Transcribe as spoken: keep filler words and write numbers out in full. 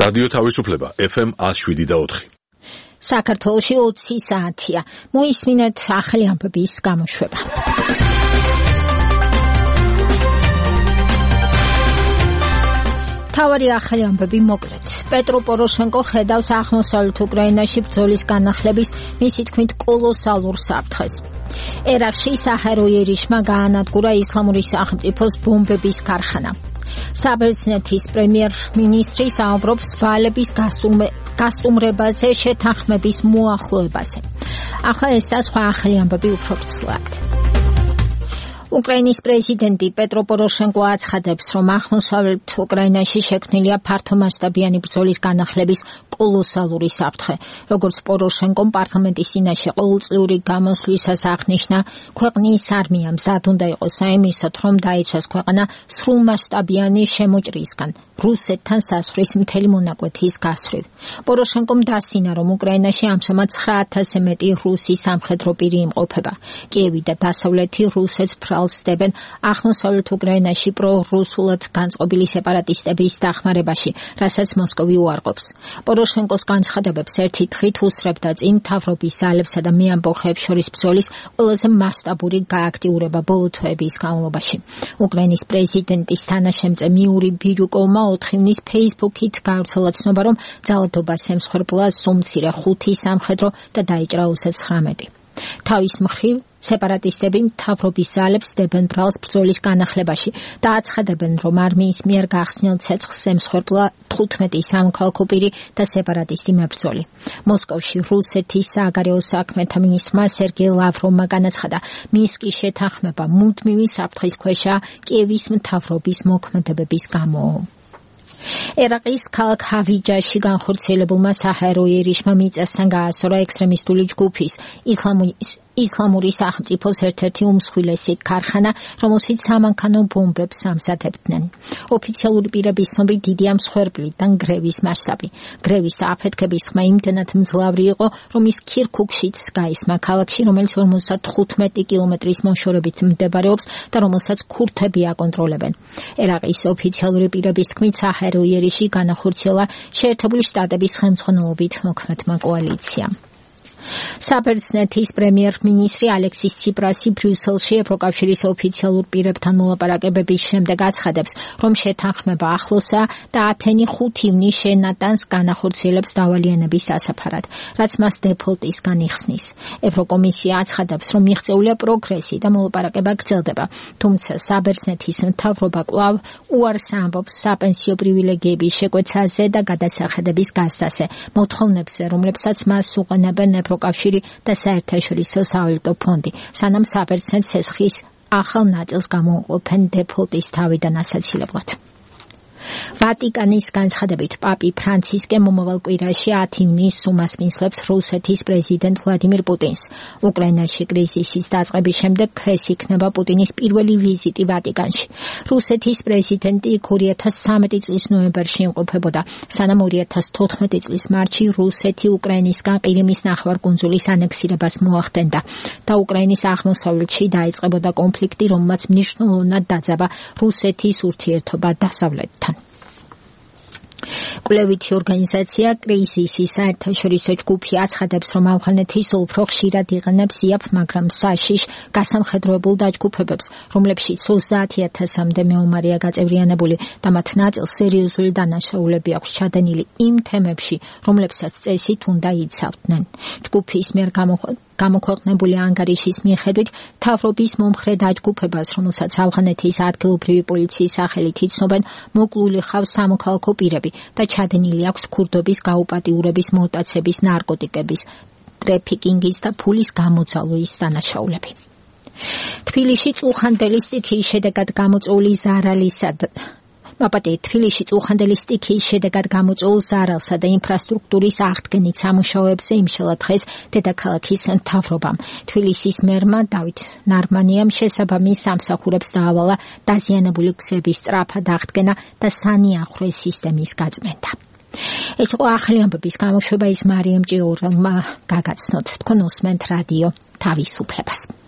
რადიო თავისუფლება ეფ ემ one oh seven point four. საქართველოში ოცი საათია. მოისმინეთ ახალი ამბების გამოშვება. თავარი ახალი ამბები მოკლედ. პეტრო პოროშენკო ხედავს აღმოსავლეთ უკრაინაში ბრძოლის განახლების მისი თქმით კოლოსალურ საფრთხეს. ერაყში საჰეროიერიშმა გაანადგურა ისლამური სახელმწიფოს ბომბების ქარხანა. საბერძნეთის პრემიერ-მინისტრი საუბრობს ვალების გასტუმრებაზე შეთანხმების მოახლოებაზე. ახლა ეს და სხვა ახალი ამბები უფრო ვრცლად. უკრაინის პრეზიდენტი პეტრო პოროშენკო აცხადებს, რომ აღმოსავლეთ უკრაინაში შექმნილია ფართომასშტაბიანი ბრძოლის განახლების კოლოსალური საფრთხე. როგორც პოროშენკომ პარლამენტის წინაშე ყოველწლიური გამოსვლისას აღნიშნა, ქვეყნის არმია მზად უნდა იყოს საიმისოდ, რომ დაეჩას ქვეყანა სრულმასშტაბიანი შემოჭრისგან, რუსეთთან სასვრის მთელი მონაკვეთის გასვლით. პოროშენკომ დასინა, რომ უკრაინაში ამჟამად ცხრა ათასზე მეტი რუსი სამხედრო პირი იმყოფება. კიევი და დასავლეთი რუსეთს სდებენ აღმოსავლეთ უკრაინაში პრორუსულად განწყობილი სეპარატისტების დახმარებაში, რასაც მოსკოვი უარყოფს. პოროშენკოს განცხადებებს ერთი თხით უსწრებდა წინ მთავრობის ძალებსა და მეამბოხეებს შორის ბრძოლის ყველაზე მასშტაბური გააქტიურება ბოლო თვეების განმავლობაში. უკრაინის პრეზიდენტის თანაშემწე მიური ბირიუკოვმა ოთხივნის ფეისბუქით გავრცელა ცნობა, რომ ძალადობას ემსხვერპლა სუმცირე ხუთი სამხედრო და დაიჭრა ოცდათხმეტი. თავის მხრივ სეპარატისტები მთავრობის ძალებს დებენ ბრალს ბრძოლის განახლებაში და აცხადებენ, რომ არმიის მიერ გახსნილ ცეცხლს ემსხვერპლა თხუთმეტი სამოქალაქო პირი და სეპარატისტი მებრძოლი. მოსკოვში რუსეთის სააგარეო საქმეთა მინისტრმა სერგეი ლავროვმა განაცხადა, მინსკის შეთანხმება მუდმივი საფრთხის ქვეშაა კიევის მთავრობის მოქმედებების გამო. ერაყის ქალაქ ჰავიჯაში განხორციელებულმა საჰეროიერიშმა მიწასთან გაასწორა ექსტრემისტული ჯგუფის ისლამური სახელმწიფოს ერთ-ერთი უმსხვილესი ქარხანა, რომელშიც სამანქანო ბომბებს ამზადებდნენ. ოფიციალური პირების ცნობით დიდია მსხვერპლიდან გრევის მასშტაბი. გრევის და აფეთქების ხმა იმდენად მძლავრი იყო, რომ ის ქირქუქშიც გაისმა, ქალაქში, რომელიც ორმოცდათხუთმეტი კილომეტრის მოშორებით მდებარეობს და რომელსაც ქურთები აკონტროლებენ. ერაყის ოფიციალური პირების თქმით, საჰეროიერიში განახორციელა შეერთებული შტატების ხელმძღვანელობით მოქმედმა კოალიციამ. საბერძნეთის პრემიერ-მინისტრი ალექსის ციპრასი ბრიუსელში ევროკავშირის ოფიციალურ პირებთან მოლაპარაკებების შემდეგ აცხადებს, რომ შეთანხმება ახლოსაა და ათენი ხუთ ივნისს შენატანს განახორციელებს დავალიანების დასაფარად, რაც მას დეფოლტისგან იხსნის. ევროკომისია აცხადებს, რომ მიღწეულია პროგრესი და მოლაპარაკება გრძელდება, თუმცა საბერძნეთის მთავრობა კვლავ უარს ამბობს საპენსიო პრივილეგიების შეკვეცაზე და გადასახადების გასცაზე, მოთხოვნებზე, რომლებსაც მას უყენებენ ევროკავშირი და საერთაშორისო სავალუტო ფონდი, სანამ საბერძნეთს ცეცხლის ახალ ნაწილს გამოუყოფენ დეფოლტის თავიდან ასაცილებლად. ვატიკანის განცხადებით, პაპი ფრანცისკე მომავალ კვირაში ათი ივნისს უმასპინძლებს რუსეთის პრეზიდენტ ვლადიმირ პუტინს. უკრაინაში კრიზისის დაწყების შემდეგ ეს იქნება პუტინის პირველი ვიზიტი ვატიკანში. რუსეთის პრეზიდენტი იქ ორი ათას ცხრამეტი წლის ნოემბერში იმყოფებოდა, სანამ ორი ათას თოთხმეტი წლის მარტში რუსეთი უკრაინისგან ყირიმის ნახევარკუნძულის ანექსირებას მოახდენდა და უკრაინის აღმოსავლეთში დაიწყებოდა კონფლიქტი, რომელმაც მნიშვნელოვნად დაძაბა რუსეთის ურთიერთობა დასავლეთთან. კვლევითი ორგანიზაცია კრიზისის საერთაშორისო ჯგუფი აცხადებს, რომ ავღანეთის უფრო ხშირად იყენებს იაფ, მაგრამ საშიშ გასამხედროებულ დაჯგუფებებს, რომლებშიც ოცდაათი ათასამდე მეომარია გაწევრიანებული და მათ ნაწილს სერიოზული დანაშაულები აქვს ჩადენილი იმ თემებში, რომლებსაც წესით უნდა იცავდნენ. ჯგუფის მიერ გამოქვეყნებული ანგარიშის მიხედვით, მთავრობის მომხრე დაჯგუფებას, რომელსაც ავღანეთის ადგილობრივი პოლიციის სახელით იცნობენ, მოკლული ხავს სამოქალაქო პირები და ჩადენილი აქვს ქურდობის გაუპატიურების, მოტაცების, ნარკოტიკების, ტრეფიკინგის და ფულის გამოძალვის დანაშაულები. თბილისში წუხანდელი სტიქიის შედეგად გამოწვეული ზარალისა მაპატე თბილისში წუხანდელი სტიქიის შედეგად გამოწვეულ ზარალსა და ინფრასტრუქტურის აღდგენით სამუშაოებზე იმშელა დღეს დედაქალაქის მთავრობამ. თბილისის მერმა დავით ნარმანიამ შესაბამის სამსახურებს დაავალა დაზიანებული გზების სწრაფად აღდგენა და სანიახვე სისტემის გაწმენდა. ეს იყო ახალი ამბების გამოშვება, ის მარიამ ჭიურელმა გაგაცნოთ. თქვენ უსმენთ რადიო თავისუფლებას.